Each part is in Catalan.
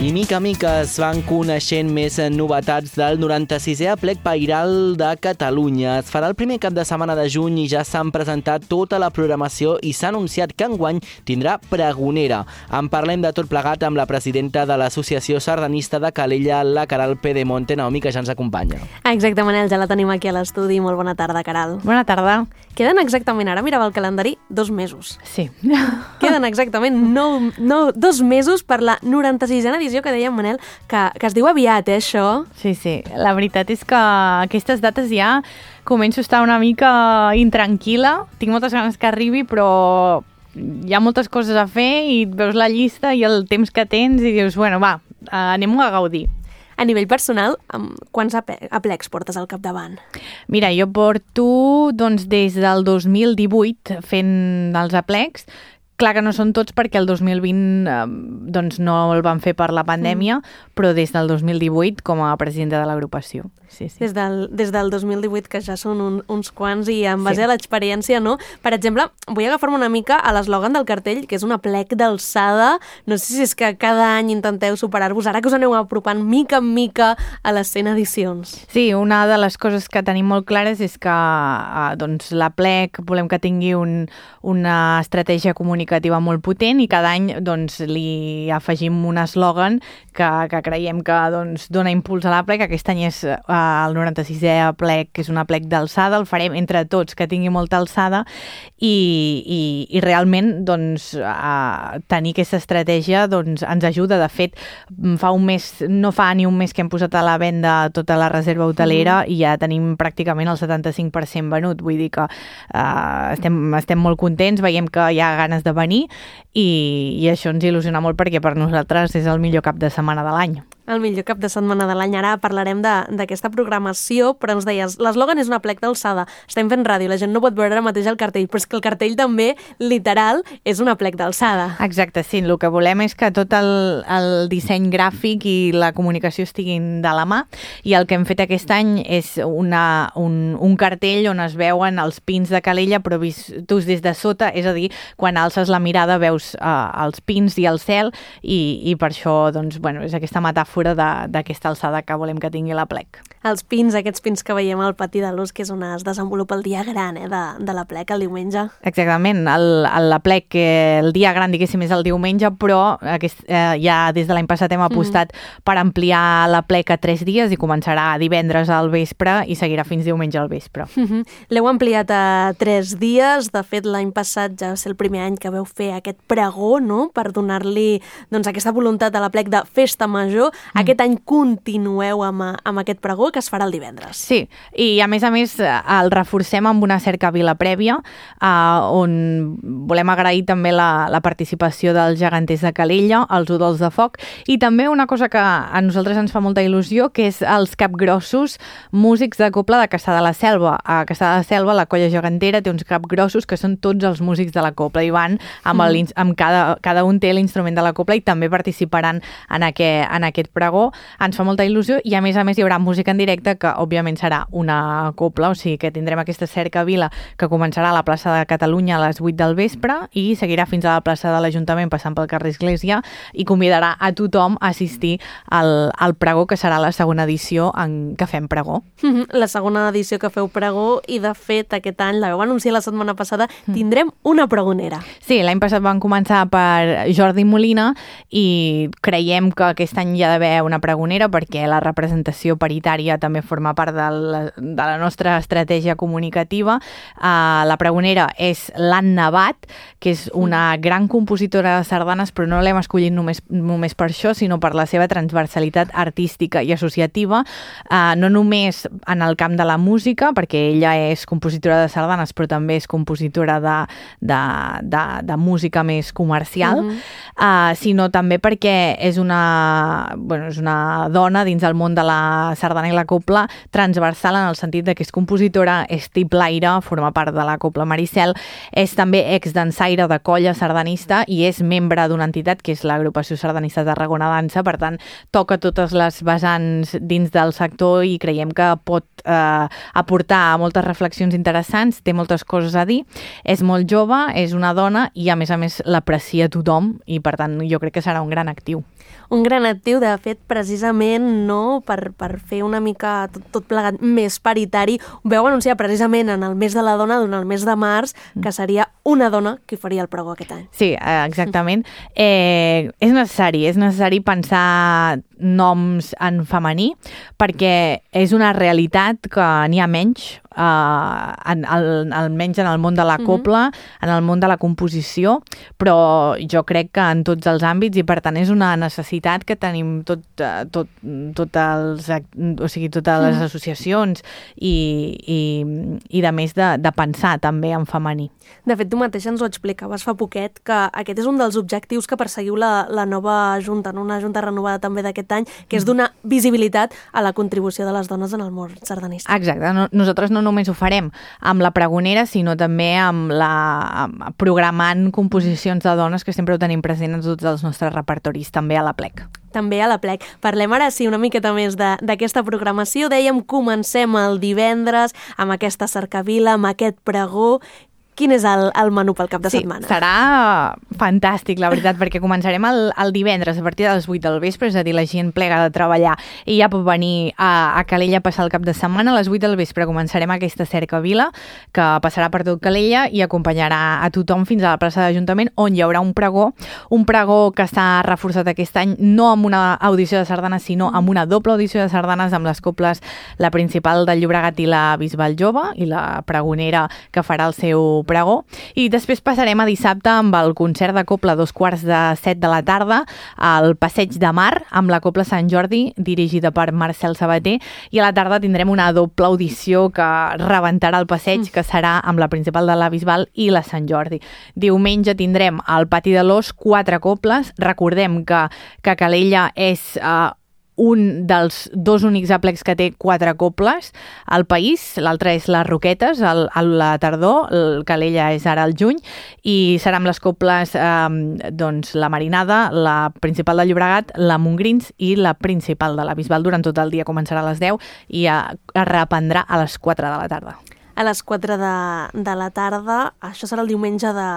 I mica a mica es van coneixent més novetats del 96è Aplec Pairal de Catalunya. Es farà el primer cap de setmana de juny i ja s'han presentat tota la programació i s'ha anunciat que enguany tindrà pregonera. En parlem de tot plegat amb la presidenta de l'Associació Sardanista de Calella, la Caral Pedemonte. Naomi, que ja ens acompanya. Exacte, Manel, ja la tenim aquí a l'estudi. Molt bona tarda, Caral. Bona tarda. Queden exactament, ara mirava el calendari, 2 mesos. Sí. Queden exactament 2 mesos per la 96a edició que dèiem, Manel, que es diu aviat, això? Sí, sí. La veritat és que aquestes dates ja començo a estar una mica intranquil·la. Tinc moltes ganes que arribi, però hi ha moltes coses a fer i et veus la llista i el temps que tens i dius, bueno, va, anem-ho a gaudir. A nivell personal, quants aplecs portes al capdavant? Mira, jo porto des del 2018 fent els aplecs. Clar que no són tots perquè el 2020 no el van fer per la pandèmia, però des del 2018 com a presidenta de l'agrupació. Sí, sí. Des del 2018, que ja són uns quants, i en base a l'experiència, no? Per exemple, vull agafar-me una mica a l'eslògan del cartell, que és un aplec d'alçada. No sé si és que cada any intenteu superar-vos, ara que us aneu apropant mica en mica a les 100 edicions. Sí, una de les coses que tenim molt clares és que l'aplec volem que tingui una estratègia comunicativa molt potent i cada any li afegim un eslògan que creiem que dona impuls a l'aplec. Aquest any és el 96è aplec, que és un aplec d'alçada, el farem entre tots, que tingui molta alçada i realment tenir aquesta estratègia ens ajuda. De fet, no fa ni un mes que hem posat a la venda tota la reserva hotelera i ja tenim pràcticament el 75% venut. Vull dir que estem molt contents, veiem que hi ha ganes de venir i això ens il·lusiona molt perquè per nosaltres és el millor cap de setmana de l'any. El millor cap de setmana de l'any. Ara parlarem d'aquesta programació, però ens deies, l'eslògan és un aplec d'alçada. Estem fent ràdio, la gent no pot veure ara mateix el cartell, però és que el cartell també, literal, és un aplec d'alçada. Exacte, sí. El que volem és que tot el disseny gràfic i la comunicació estiguin de la mà, i el que hem fet aquest any és un cartell on es veuen els pins de Calella, però vistos des de sota, és a dir, quan alces la mirada veus els pins i el cel, i per això és aquesta metàfora d'aquesta alçada que volem que tingui l'aplec. Els pins, aquests pins que veiem al pati de l'Ús, que és on es desenvolupa el dia gran de l'aplec, el diumenge. Exactament, l'aplec, el dia gran, diguéssim, és el diumenge, però ja des de l'any passat hem apostat per ampliar l'aplec a 3 dies i començarà divendres al vespre i seguirà fins diumenge al vespre. L'heu ampliat a 3 dies, de fet l'any passat ja va ser el primer any que veu fer aquest pregó, no?, per donar-li aquesta voluntat a l'aplec de festa major. Aquest any continueu amb aquest pregó, que es farà el divendres. Sí, i a més el reforcem amb una cercavila prèvia on volem agrair també la participació dels geganters de Calella, els udols de foc, i també una cosa que a nosaltres ens fa molta il·lusió, que és els capgrossos músics de cobla de Cassà de la Selva. A Cassà de la Selva la colla gegantera té uns capgrossos que són tots els músics de la cobla i van amb cada un té l'instrument de la cobla i també participaran en aquest pregó. Ens fa molta il·lusió i a més hi haurà música en directe, que òbviament serà una cobla, o sigui que tindrem aquesta cercavila que començarà a la plaça de Catalunya a les 8 del vespre i seguirà fins a la plaça de l'Ajuntament passant pel carrer Església i convidarà a tothom a assistir al pregó, que serà la segona edició en què fem pregó. La segona edició que feu pregó, i de fet aquest any, la vau anunciar la setmana passada, tindrem una pregonera. Sí, l'any passat van començar per Jordi Molina i creiem que aquest any hi ha d'haver una pregonera perquè la representació paritària també forma part de la nostra estratègia comunicativa. La pregonera és l'Anna Bat, que és una gran compositora de sardanes, però no l'hem escollit només per això, sinó per la seva transversalitat artística i associativa, no només en el camp de la música, perquè ella és compositora de sardanes, però també és compositora de música més comercial, sinó també perquè és és una dona dins el món de la sardana i la copla, transversal en el sentit de que és compositora, és tiplaire, forma part de la Copla Maricel, és també exdansaire de colla sardanista i és membre d'una entitat que és l'Agrupació Sardanista Tarragona Dansa, per tant, toca totes les vessants dins del sector i creiem que pot aportar moltes reflexions interessants, té moltes coses a dir, és molt jove, és una dona i a més l'aprecia tothom i per tant jo crec que serà un gran actiu. Un gran actiu, de fet, precisament no per fer una mica tot plegat més paritari. Ho veu anunciar precisament en el mes de la dona, durant el mes de març, que seria una dona qui faria el pregó aquest any. Sí, exactament. És necessari pensar noms en femení perquè és una realitat que n'hi ha menys, almenys en el món de la copla, en el món de la composició, però jo crec que en tots els àmbits i per tant és una necessitat que tenim totes les associacions i de més de pensar també en femení. De fet, tu mateix ens ho explicaves fa poquet, que aquest és un dels objectius que perseguiu la nova Junta, una Junta renovada també d'aquest any, que és donar visibilitat a la contribució de les dones en el món sardanista. Exacte. Nosaltres no només ho farem amb la pregonera, sinó també programant composicions de dones, que sempre ho tenim present en tots els nostres repertoris, també a la plec. També a la plec. Parlem ara sí una miqueta més d'aquesta programació. Dèiem, comencem el divendres amb aquesta cercavila, amb aquest pregó. Quin és el menú pel cap de setmana? Sí, serà fantàstic, la veritat, perquè començarem el divendres a partir de les 8 del vespre, és a dir, la gent plega de treballar i ja pot venir a Calella a passar el cap de setmana. A les 8 del vespre començarem aquesta cercavila que passarà per tot Calella i acompanyarà a tothom fins a la plaça d'Ajuntament, on hi haurà un pregó que s'ha reforçat aquest any, no amb una audició de sardanes, sinó amb una doble audició de sardanes amb les coples, la principal del Llobregat i la Bisbal Jove, i la pregonera que farà el seu pregó, i després passarem a dissabte amb el concert de copla a 2:45 de la tarda al Passeig de Mar amb la Copla Sant Jordi, dirigida per Marcel Sabater, i a la tarda tindrem una doble audició que rebentarà el passeig, que serà amb la principal de la Bisbal i la Sant Jordi. Diumenge tindrem al Pati de l'Os 4 coples. Recordem que Calella és un dels dos únics aplecs que té 4 coples al país, l'altre és les Roquetes a la tardor, el Calella és ara al juny, i seran les coples la Marinada, la principal del Llobregat, la Montgrins i la principal de la Bisbal. Durant tot el dia començarà a les 10 i es reprendrà a les 4 de la tarda. A les 4 de la tarda, això serà el diumenge de...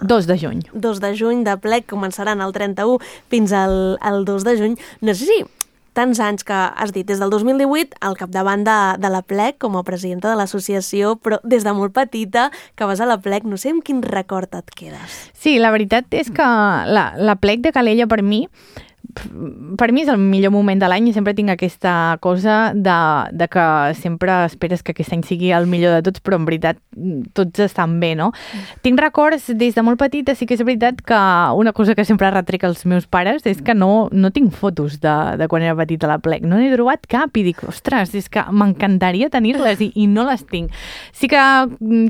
2 de juny. 2 de juny de plec, començaran el 31 fins al 2 de juny. No sé si tants anys que has dit, des del 2018 al capdavant de la plec com a presidenta de l'associació, però des de molt petita que vas a la plec, no sé amb quin record et quedes. Sí, la veritat és que la plec de Calella per mi és el millor moment de l'any i sempre tinc aquesta cosa de que sempre esperes que aquest any sigui el millor de tots, però en veritat tots estan bé, no? Tinc records des de molt petita, sí que és veritat que una cosa que sempre retrec als meus pares és que no tinc fotos de quan era petita a la plec. No n'he trobat cap i dic, ostres, és que m'encantaria tenir-les i no les tinc. Sí que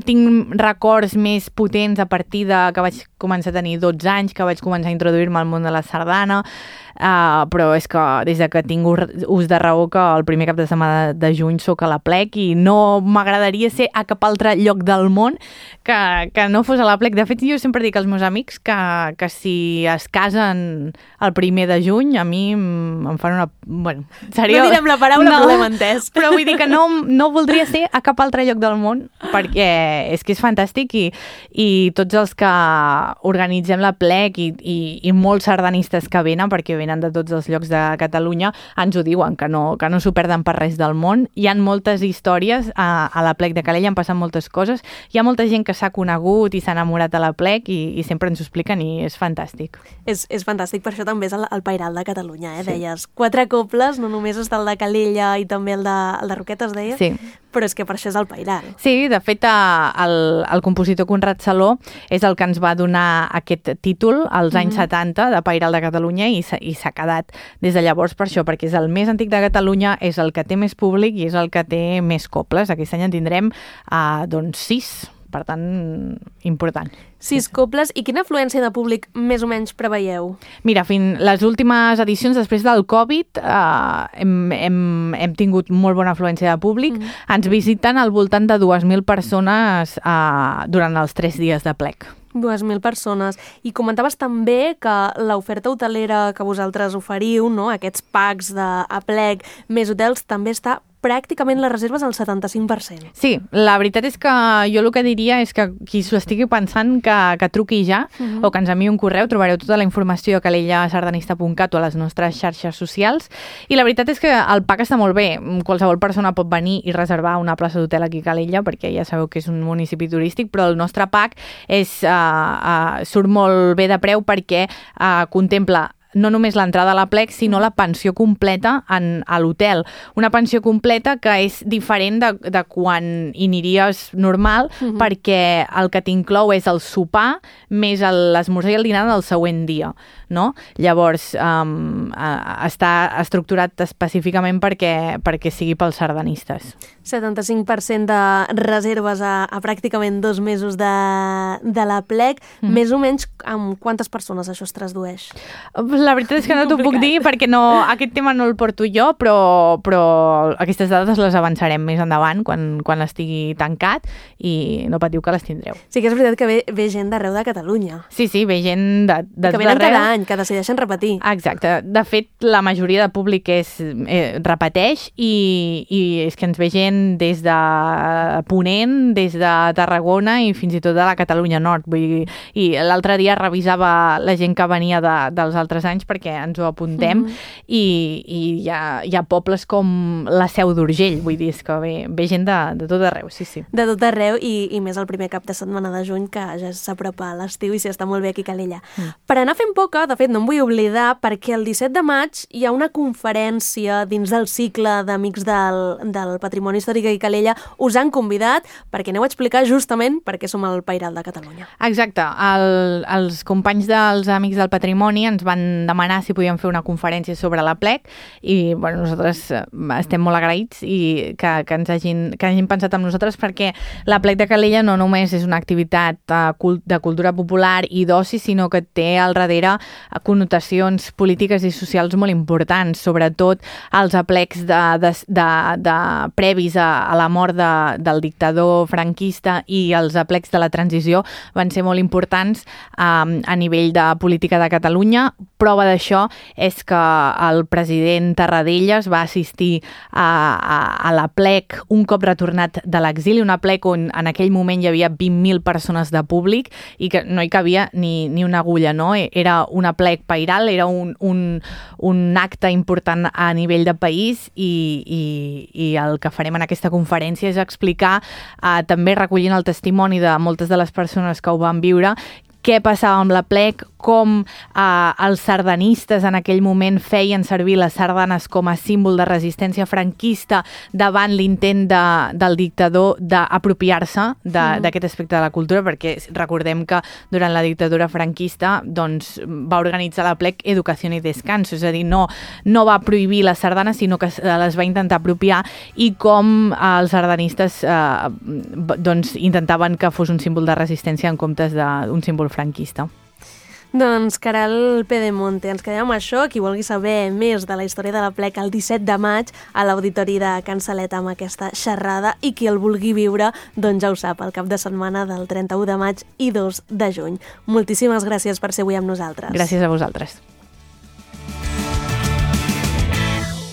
tinc records més potents a partir de que vaig començar a tenir 12 anys, que vaig començar a introduir-me al món de la sardana, però és que des que tinc ús de raó que el primer cap de setmana de juny soc a la plec i no m'agradaria ser a cap altre lloc del món que no fos a la plec. De fet, jo sempre dic als meus amics que si es casen el primer de juny, a mi em fan una... Bueno, seria... No direm la paraula, però l'hem entès. Però vull dir que no voldria ser a cap altre lloc del món perquè és que és fantàstic i tots els que organitzem la plec i molts sardanistes que venen, perquè venen de tots els llocs de Catalunya, ens ho diuen, que no s'ho perden per res del món. Hi ha moltes històries a la plec de Calella, han passat moltes coses. Hi ha molta gent que s'ha conegut i s'ha enamorat a la plec i sempre ens ho expliquen i és fantàstic. És fantàstic, per això també és el Pairal de Catalunya, Sí. Deies 4 cobles, no només està el de Calella i també el de Roquetes, deies? Sí. Però és que per això és el Pairal. Sí, de fet, el compositor Conrad Saló és el que ens va donar aquest títol als anys 70 de Pairal de Catalunya i s'ha quedat des de llavors per això, perquè és el més antic de Catalunya, és el que té més públic i és el que té més cobles. Aquest any en tindrem 6 Per tant, important. 6 cobles. I quina afluència de públic més o menys preveieu? Mira, les últimes edicions, després del Covid, hem tingut molt bona afluència de públic. Ens visiten al voltant de 2.000 persones durant els 3 dies de plec. 2.000 persones. I comentaves també que l'oferta hotelera que vosaltres oferiu, no? Aquests packs a plec més hotels, també està pràcticament les reserves al 75%. Sí, la veritat és que jo el que diria és que qui s'ho estigui pensant que truqui ja o que ens enviï un correu, trobareu tota la informació a calellasardanista.cat o a les nostres xarxes socials, i la veritat és que el pack està molt bé. Qualsevol persona pot venir i reservar una plaça d'hotel aquí a Calella, perquè ja sabeu que és un municipi turístic, però el nostre pack surt molt bé de preu perquè contempla no només l'entrada a la plec, sinó la pensió completa a l'hotel. Una pensió completa que és diferent de quan hi aniries normal, perquè el que t'inclou és el sopar més l'esmorzar i el dinar del següent dia, no? Llavors, està estructurat específicament perquè sigui pels sardanistes. 75% de reserves a pràcticament 2 mesos de la plec. Més o menys amb quantes persones això es tradueix? La veritat és que no t'ho puc dir perquè aquest tema no el porto jo, però aquestes dades les avançarem més endavant quan estigui tancat i no patiu que les tindreu. Sí que és veritat que ve gent d'arreu de Catalunya. Sí, ve gent d'arreu. Que venen cada any, que decideixen repetir. Exacte. De fet, la majoria de públic repeteix i és que ens ve gent des de Ponent, des de Tarragona i fins i tot de la Catalunya Nord. I l'altre dia revisava la gent que venia dels altres anys perquè ens ho apuntem i hi ha pobles com la Seu d'Urgell, vull dir, és que ve gent de tot arreu, sí. De tot arreu i més el primer cap de setmana de juny, que ja s'apropa a l'estiu i s'està molt bé aquí a Calella. Per anar fent poca, de fet no em vull oblidar, perquè el 17 de maig hi ha una conferència dins del cicle d'Amics del Patrimoni Històric aquí a Calella. Us han convidat perquè aneu a explicar justament per què som el Pairal de Catalunya. Exacte. Els companys dels Amics del Patrimoni ens van demanar si podíem fer una conferència sobre la plec i nosaltres estem molt agraïts i que ens hagin pensat en nosaltres, perquè la plec de Calella no només és una activitat de cultura popular i d'oci, sinó que té al darrere connotacions polítiques i socials molt importants, sobretot els aplecs previs a la mort del dictador franquista i els aplecs de la transició van ser molt importants a nivell de política de Catalunya. Prova d'això és que el president Tarradellas va assistir a la plec un cop retornat de l'exili, una plec on en aquell moment hi havia 20.000 persones de públic i que no hi cabia ni una agulla, no? Era una plec pairal, era un acte important a nivell de país i el que farem en aquesta conferència és explicar, també recollint el testimoni de moltes de les persones que ho van viure, què passava amb la plec, com els sardanistes en aquell moment feien servir les sardanes com a símbol de resistència franquista davant l'intent del dictador d'apropiar-se d'aquest aspecte de la cultura, perquè recordem que durant la dictadura franquista va organitzar la plec Educació i Descanso, és a dir, no va prohibir les sardanes, sinó que les va intentar apropiar, i com els sardanistes intentaven que fos un símbol de resistència en comptes d'un símbol franquista. Doncs Caral Pedemonte, ens quedem amb això. Qui vulgui saber més de la història de la plec el 17 de maig a l'Auditori de Can Salet amb aquesta xerrada, i qui el vulgui viure, doncs ja ho sap, el cap de setmana del 31 de maig i 2 de juny. Moltíssimes gràcies per ser avui amb nosaltres. Gràcies a vosaltres.